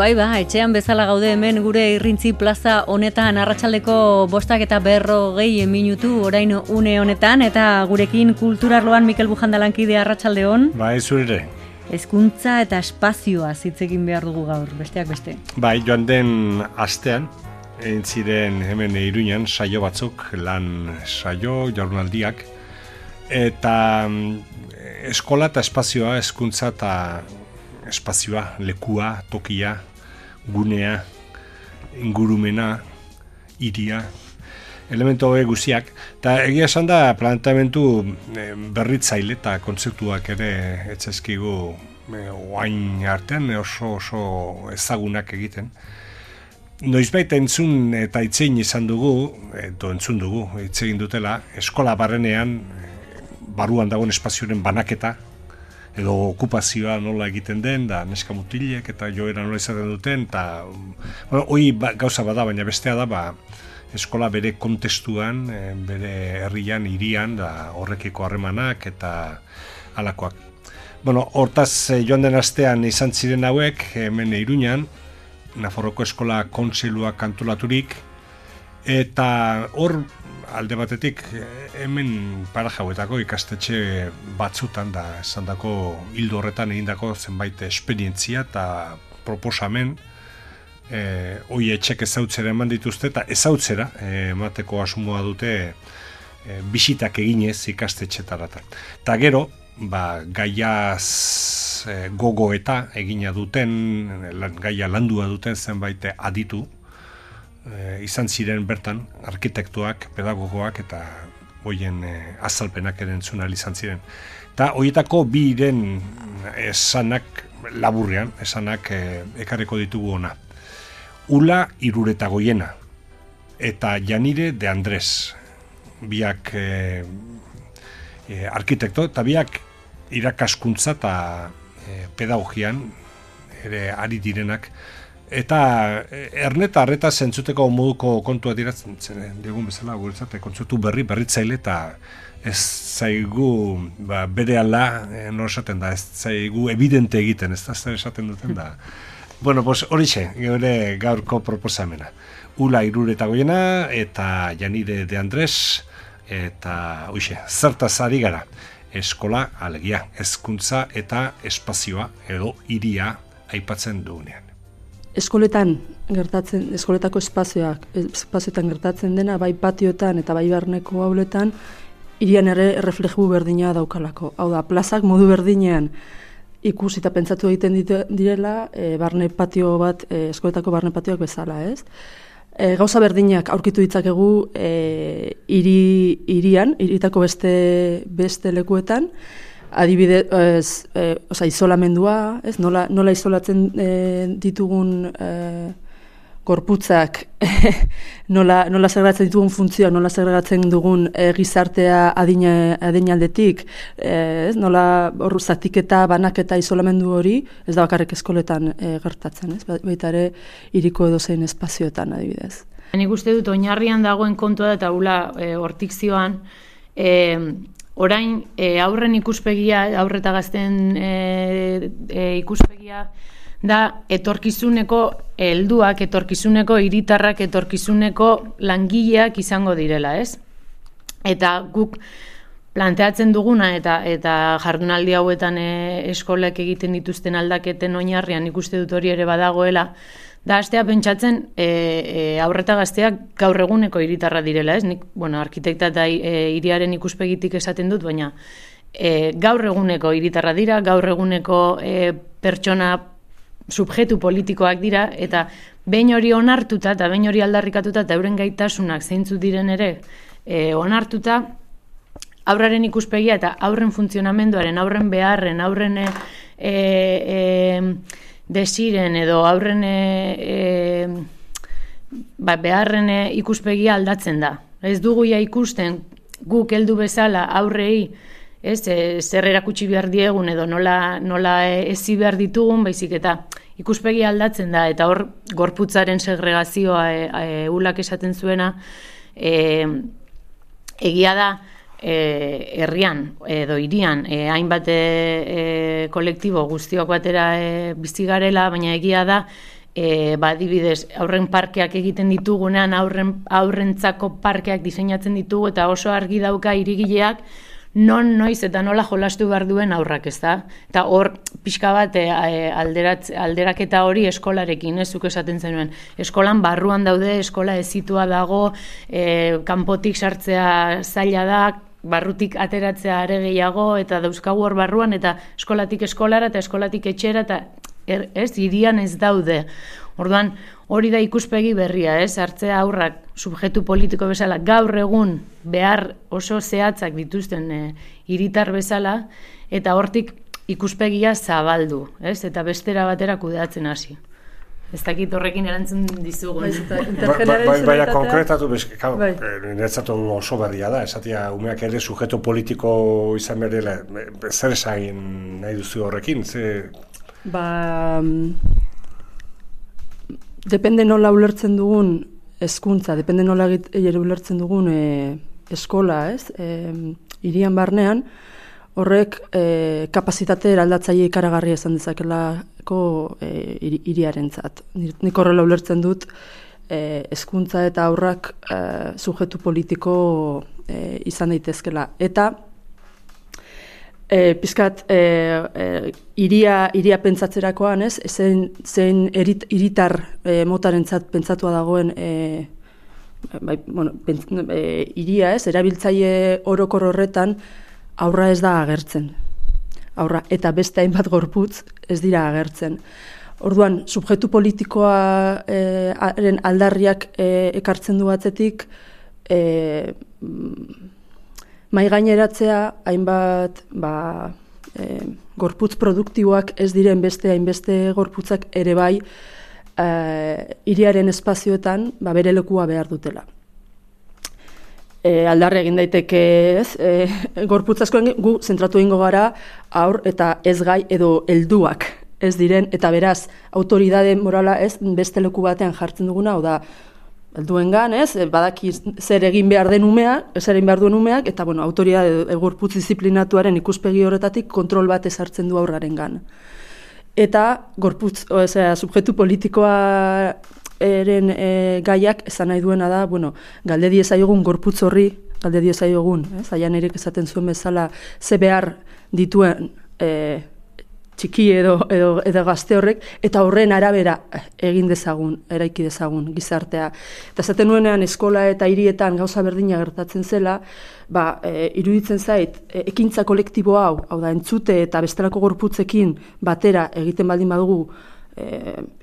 Bai, etxean bezala gaude hemen gure Irrintzi plaza honetan arratsaldeko 5:40 minutu orain une honetan, eta gurekin kulturarloan Mikel Bujanda lankide, arratsaldeon. Bai, zure. Hezkuntza eta espazioa hitz egin behar dugu gaur, besteak beste. Bai, joan den astean, egin ziren hemen Iruñan saio batzuk, lan saio, jardunaldiak, eta eskola eta espazioa, hezkuntza eta espazioa, lekua, tokia, gunea, ingurumena, hiria, elementu hauek guztiak. Eta egia esan da planteamendu berritzaile eta kontzeptuak ere etzaizkigu oain artean oso ezagunak egiten. Noizbait entzun eta hitzein izan dugu, entzun dugu, hitz egin dutela, eskola barrenean, baruan dagoen espazioaren banaketa, edo okupazioa nola egiten den, da neska mutilek eta joera nola izaten duten, eta hori gauza bada, baina bestea da, eskola bere kontestuan, bere herrian, hirian, da horrekiko harremanak eta halakoak. Hortaz joan den astean izan ziren hauek, hemen Iruñan, Nafarroko Eskola Kontseilua antolaturik, eta hor alde batetik hemen parajauetako ikastetxe batzutan da esandako hildo horretan egindako zenbait esperientzia eta proposamen hoi etxek ezautzera eman dituzte eta ezautzera emateko asmoa dute bisitak eginez ikastetxetaratan. Eta gero, gaiaz gogo eta egina duten, gaia landua duten zenbait aditu, izan ziren bertan arkitektoak, pedagogoak eta hoien azalpenak erantzuna izan ziren. Eta horietako biren esanak laburrean, esanak ekarriko ditugu ona. Ula Iruretagoiena eta Janire de Andres, biak arkitekto eta biak irakaskuntza eta pedagogian ere ari direnak. Eta erneta arreta zentzuteko moduko kontua diratzen digun bezala guretzat kontzeptu berritzaile eta ez zaigu berehala esaten da, ez zaigu evidente egiten, ez da zer esaten duten da. Horixe, gure gaurko proposamena. Ula Iruretagoiena eta Janire de Andres, eta zertaz ari gara. Eskola, alegia, hezkuntza eta espazioa edo hiria aipatzen dugunean. Eskoletako espazioetan gertatzen dena, bai patioetan eta bai barneko auletan, hirian ere errefleju berdina daukalako. Hau da, plazak modu berdinean ikusi eta pentsatu egiten direla, barne patio bat, eskoletako barne patioak bezala, ez? Gauza berdinak aurkitu ditzakegu hiritako beste lekuetan, adibidez, isolamendua, ez? Nola isolatzen ditugun gorputzak, nola segregatzen ditugun funtzioa, nola segregatzen dugun gizartea adinaldetik, nola zatiketa, banaketa, isolamendu hori, ez da bakarrik eskoletan gertatzen, ez? Baita ere hiriko edozein espazioetan adibidez. Nik uste dut oinarrian dagoen kontua eta ula hortik zioan, orain aurren ikuspegia, aurre eta gazten ikuspegia da etorkizuneko helduak, etorkizuneko hiritarrak, etorkizuneko langileak izango direla, ez? Eta guk planteatzen duguna eta jardunaldi hauetan eskolek egiten dituzten aldaketen oinarrian ikuste dut hori ere badagoela, da hastea pentsatzen aurreta gazteak gaur eguneko hiritarra direla, ez? Nik, arkitekta eta hiriaren ikuspegitik esaten dut, baina gaur eguneko hiritarra dira, gaur eguneko pertsona subjektu politikoak dira, eta behin hori onartuta eta behin hori aldarrikatuta eta euren gaitasunak zeintzuk diren ere onartuta, aurraren ikuspegia eta aurren funtzionamenduaren, aurren beharren, aurren desiren edo aurren beharren ikuspegia aldatzen da. Ez dugu ja ikusten guk heldu bezala aurrei, zer erakutsi behar diegun edo nola ezi behar ditugun, baizik eta ikuspegia aldatzen da, eta hor gorputzaren segregazioa ulak esaten zuena, egia da herrian edo hirian hainbat kolektibo guztiok batera bizi garela, baina egia da adibidez, aurren parkeak egiten ditugunean, aurrentzako parkeak diseinatzen ditugu, eta oso argi dauka hirigileak noiz eta nola jolastu behar duen aurrak, ez da? Eta hor, pixka bat, alderaketa hori eskolarekin, zuk esaten zenuen. Eskolan barruan daude, eskola ezitua dago, kanpotik sartzea zaila da, barrutik ateratzea are gehiago, eta dauzkagu hor barruan, eta eskolatik eskolara, eta eskolatik etxera, eta hirian ez daude. Orduan, hori da ikuspegi berria, hartzea aurrak subjektu politiko bezala gaur egun behar oso zehatzak dituzten hiritar bezala, eta hortik ikuspegia zabaldu, eta bestera batera kudeatzen hasi. Ez dakit horrekin erantzun dizugun. Baina konkretatu, niretzatu oso berria da, esatia umeak ere sujeto politiko izan berela, zer esagin nahi duzu horrekin? Depende nola ulertzen dugun hezkuntza, depende nola ulertzen dugun eskola, hirian barnean, horrek kapazitate eraldatzaile ikaragarria izan dezakelako hiriarentzat. Nik horrela ulertzen dut hezkuntza eta aurrak subjektu politiko izan daitezkela. Eta pizkat iria pentsatzerakoan, zein hiritar motarentzat pentsatua dagoen iria, erabiltzaile orokor horretan aurra ez da agertzen. Aurra eta beste hainbat gorputz ez dira agertzen. Orduan, subjektu politikoaren aldarriak ekartzen du batzetik, mai gaineratzea hainbat gorputz produktiboak ez diren beste hainbeste gorputzak ere bai hiriaren espazioetan bere lekua behar dutela. Aldarri egin daiteke gorputz askoen gu zentratu egingo gara aur eta ez gai edo helduak ez diren, eta beraz autoridade morala beste leku batean jartzen duguna, hau da helduengan, badaki zer egin behar den umeak, zer egin behar duen umeak, eta autoridade gorputz disiplinatuaren ikuspegi horretatik kontrol bat ezartzen du aurrarengan. Eta gorputz, subjektu politikoa eren gaiak esan nahi duena da, galde diezaiogun gorputz horri, galde diezaiogun, Aian Erik esaten zuen bezala, ze behar dituen txiki edo gazte horrek, eta horren arabera egin dezagun, eraiki dezagun gizartea. Eta esaten nuenean eskola eta hirietan gauza berdina gertatzen zela, iruditzen zait, ekintza kolektibo hau da entzute eta bestelako gorputzekin batera egiten baldin badugu,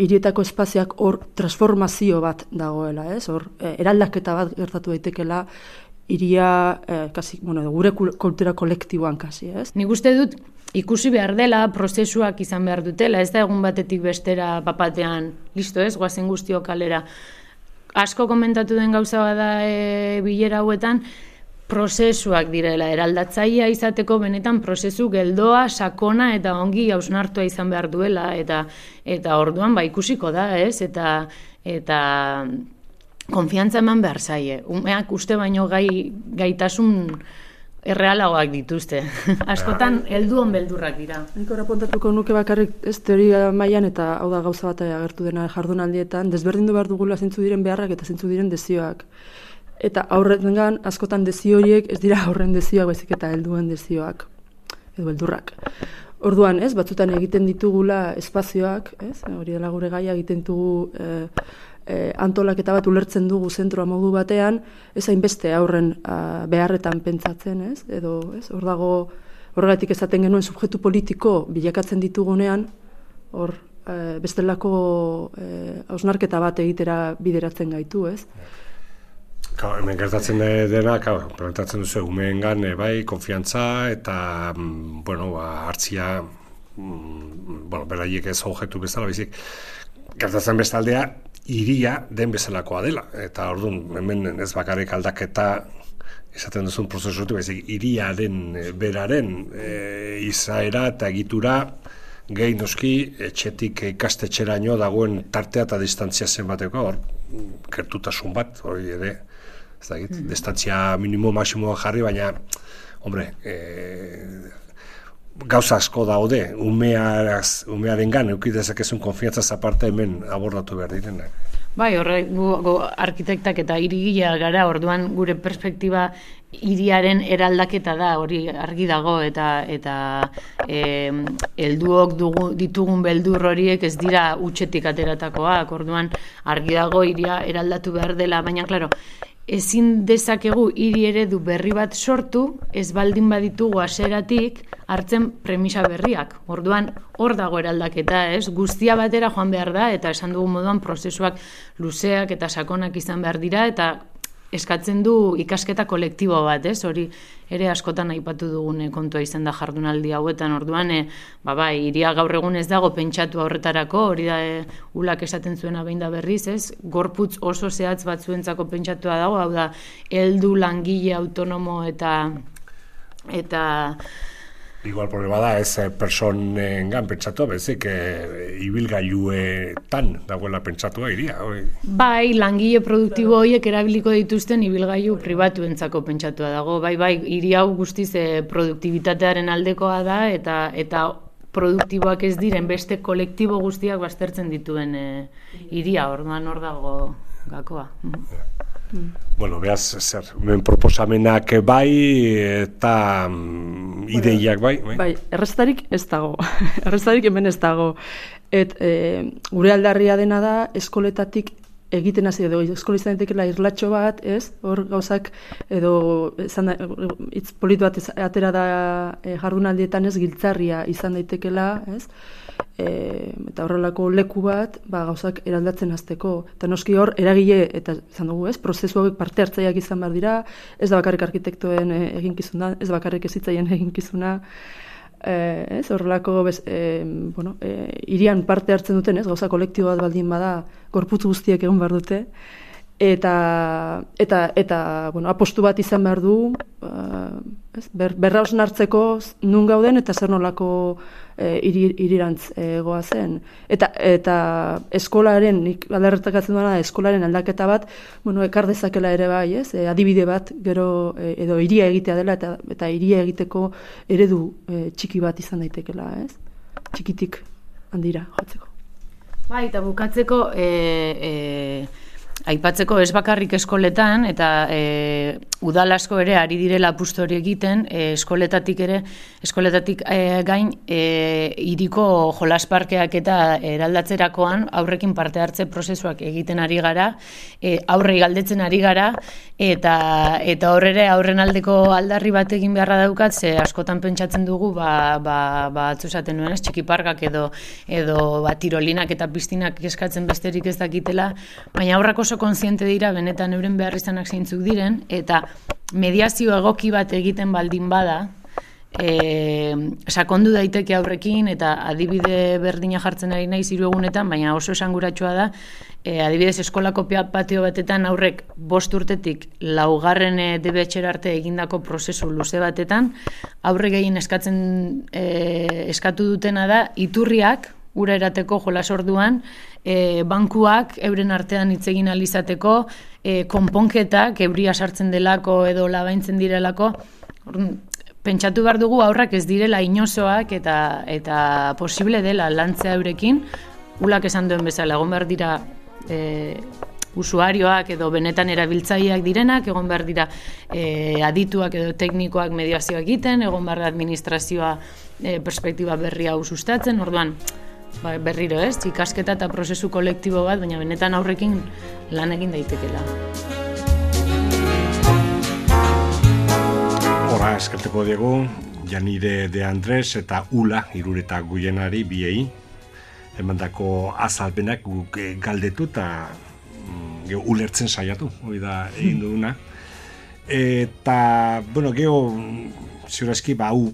hirietako espazioak hor transformazio bat dagoela, hor eraldaketa bat gertatu daitekela hiria, gure kultura kolektiboan kasi, Nik uste dut, ikusi behar dela, prozesuak izan behar dutela, ez da egun batetik bestera papatean, listo guazen guztiok kalera. Asko komentatu den gauza bada bilera hauetan, prozesuak direla, eraldatzailea izateko benetan prozesu geldoa, sakona eta ongi hausnartua izan behar duela, eta orduan ikusiko da, eta konfiantza eman behar zaie. Umeak uste baino gaitasun errealagoak dituzte. Askotan helduon beldurrak dira. Nik apuntatuko nuke bakarrik teoria mailan, eta hau da gauza bat agertu dena jardunaldietan, desberdindu behar dugula zeintzu diren beharrak eta zeintzu diren desioak. Eta aurrengan askotan desio horiek ez dira aurren desioak, baizik eta helduen desioak edo beldurrak. Orduan, batzutan egiten ditugula espazioak, hori dela gure gaia, egiten dugu antolaketa bat ulertzen dugu zentroa modu batean, ez hainbeste aurren beharretan pentsatzen, edo hor dago, horregatik esaten genuen subjektu politiko bilakatzen ditugunean, hor bestelako hausnarketa bat egitera bideratzen gaitu, Hemen gertatzen dena, plantatzen duzu umeengan, konfiantza eta, hartzia, beraiek ez objektu bezala, baizik, gertatzen bestaldea, hiria den bezalakoa dela. Eta orduan, hemen ez bakarrik aldaketa esaten duzun prozesuetu, baizik, hiriaren beraren izaera eta egitura gehi noski etxetik ikastetxeraino dagoen tartea eta distantzia zenbateko, hor, gertutasun bat, hori ere, ez dakit, distantzia minimo, maximoa jarri, baina, hombre, gauza asko daude, umearengan eduki dezakezun konfiantzaz aparte hemen abordatu behar direnak. Bai, gu arkitektak eta hirigilea gara, orduan gure perspektiba hiriaren eraldaketa da, hori argi dago, eta helduok ditugun beldur horiek ez dira hutsetik ateratakoak, orduan argi dago hiria eraldatu behar dela, baina klaro, ezin dezakegu hiri eredu berri bat sortu, ez baldin baditugu hasieratik hartzen premisa berriak. Orduan, hor dago eraldaketa, ez? Guztia batera joan behar da, eta esan dugu moduan prozesuak luzeak eta sakonak izan behar dira, eta eskatzen du ikasketa kolektibo bat, ez? Hori ere askotan aipatu dugun kontua izan da jardunaldi hauetan, orduan, bai, hiria gaur egun ez dago pentsatu horretarako, hori da ulak esaten zuena behin da berriz, ez? Gorputz oso zehatz batzuentzako pentsatua dago, hau da, heldu langile autonomo eta Igual problema da, ez personengan pentsatu, bezik ibilgailuetan dagoela pentsatua iria. Bai, langile produktibo horiek erabiliko dituzten ibilgailu pribatuentzako pentsatua dago. Bai, hiri hau guztiz produktibitatearen aldekoa da, eta produktiboak ez diren beste kolektibo guztiak baztertzen dituen hiria, orduan hor dago gakoa. Bueno, behaz, men proposamenak bai, eta ideiak bai. Bai, erreztarik ez dago. Erreztarik hemen ez dago. Gure aldarria dena da, eskoletatik egiten hasi edo eskolizan daitekeela irlatxo bat, ez? Hor gauzak edo hitz polit bat atera da jardunaldietan ez giltzarria izan daitekeela, ez? Eta horrelako leku bat, gauzak eraldatzen hasteko. Eta noski hor eragile eta izan dugu, ez? Prozesu hauek parte hartzaileak izan behar dira, ez da bakarrik arkitektoen eginkizuna, ez bakarrik ezitzaien eginkizuna. Ez, horrelako hirian parte hartzen duten, ez, gauza kolektibo bat baldin bada, gorputz guztiek egon behar dute, eta apostu bat izan behar du, berra osnartzeko nun gauden eta zer nolako hirirantz goazen. Eta eskolaren, nik aldarretatzen duena, eskolaren aldaketa bat, ekar dezakela ere bai, ez? Adibide bat, gero, edo hiria egitea dela, eta hiria egiteko eredu txiki bat izan daitekela, ez? Txikitik handira jotzeko. Bai, eta bukatzeko, aipatzeko ez bakarrik eskoletan, eta udal asko ere ari direla apustu hori egiten, eskoletatik gain hiriko jolasparkeak eta eraldatzerakoan aurrekin parte hartze prozesuak egiten ari gara, aurrei galdetzen ari gara, eta hor ere aurren aldeko aldarri bat egin beharra daukat, ze askotan pentsatzen dugu, atzu esaten nuen, txikiparkak edo tirolinak eta piztinak eskatzen besterik ez dakitela, baina aurrak oso kontziente dira benetan euren behar izanak zeintzuk diren, eta mediazio egoki bat egiten baldin bada, sakondu daiteke aurrekin, eta adibide berdina jartzen ari naiz 3 egunetan, baina oso esanguratsua da, adibidez eskolako patio batetan aurrek 5 urtetik 4. DBH arte egindako prozesu luze batetan, aurre gehien eskatu dutena da, iturriak, ura erateko jolas orduan, bankuak euren artean hitz egin ahal izateko, konponketak euria sartzen delako edo labaintzen direlako, pentsatu behar dugu aurrak ez direla inozoak eta posible dela lantzea eurekin, ulak esan duen bezala, egon behar dira usuarioak edo benetan erabiltzaileak direnak, egon behar dira adituak edo teknikoak mediazioa egiten, egon behar da administrazioa perspektiba berri hau sustatzen, orduan, berriro ez, ikasketa eta prozesu kolektibo bat, baina benetan aurrekin lan egin daitekela. Hora, eskerteko diegu, Janire de Andres eta Ula, Irureta Guienari, biei, emandako azalpenak guk galdetu eta ulertzen saiatu, hori da egin duguna. Eta, geho, ziurazki, hau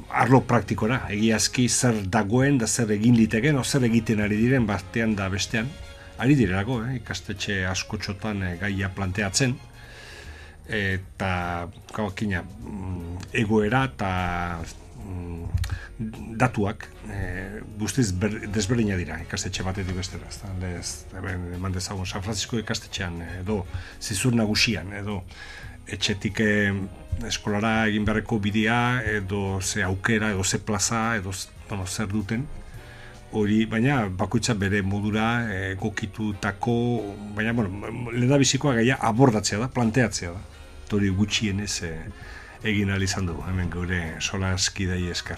arlo praktikora, egiazki zer dagoen da zer egin liteken, o zer egiten ari diren batean da bestean, ari direlako, ikastetxe askotxotan gaia planteatzen, eta gaukina, egoera eta datuak guztiz desberdina dira ikastetxe batetik bestera. Eman dezagun San Francisco ikastetxean edo Zizur Nagusian edo etxetik eskolara egin beharreko bidea, edo ze aukera, edo ze plaza, edo zer duten, hori, baina bakoitza bere modura egokitutako, baina, lehendabizikoa gaia abordatzea da, planteatzea da. Hori gutxienez egin ahal izan dugu, hemen gure solaskidei esker.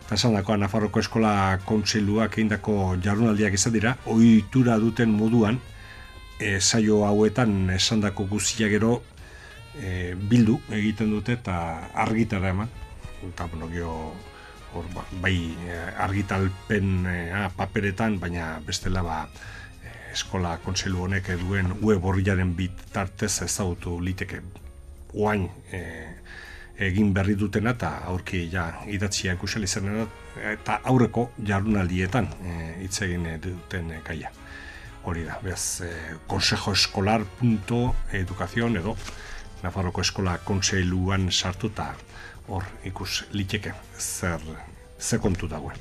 Eta esan dakoa, Nafarroko Eskola Kontseiluak egindako jardunaldiak izan dira, ohitura duten moduan, saio hauetan esandako guztia gero bildu egiten dute eta argitara eman. Eta, bai argitalpen paperetan, baina bestela Eskola Kontseilu honek duen web orriaren bitartez ezagutu liteke oain egin berri dutena eta aurki idatzia ikusel izan eta aurreko jardunaldietan hitz egin duten gaia. Hori da, beraz, consejoescolar.educación edo Nafarroko Eskola Kontseiluan sartu eta hor ikus liteke ze kontu dagoen.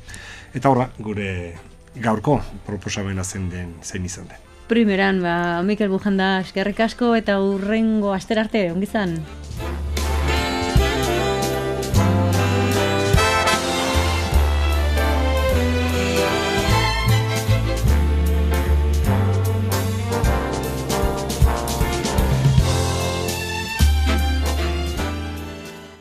Eta horra, gure gaurko proposamena zein izan den. Primeran, Mikel Bujanda, eskerrik asko eta hurrengo aster arte, ongizan.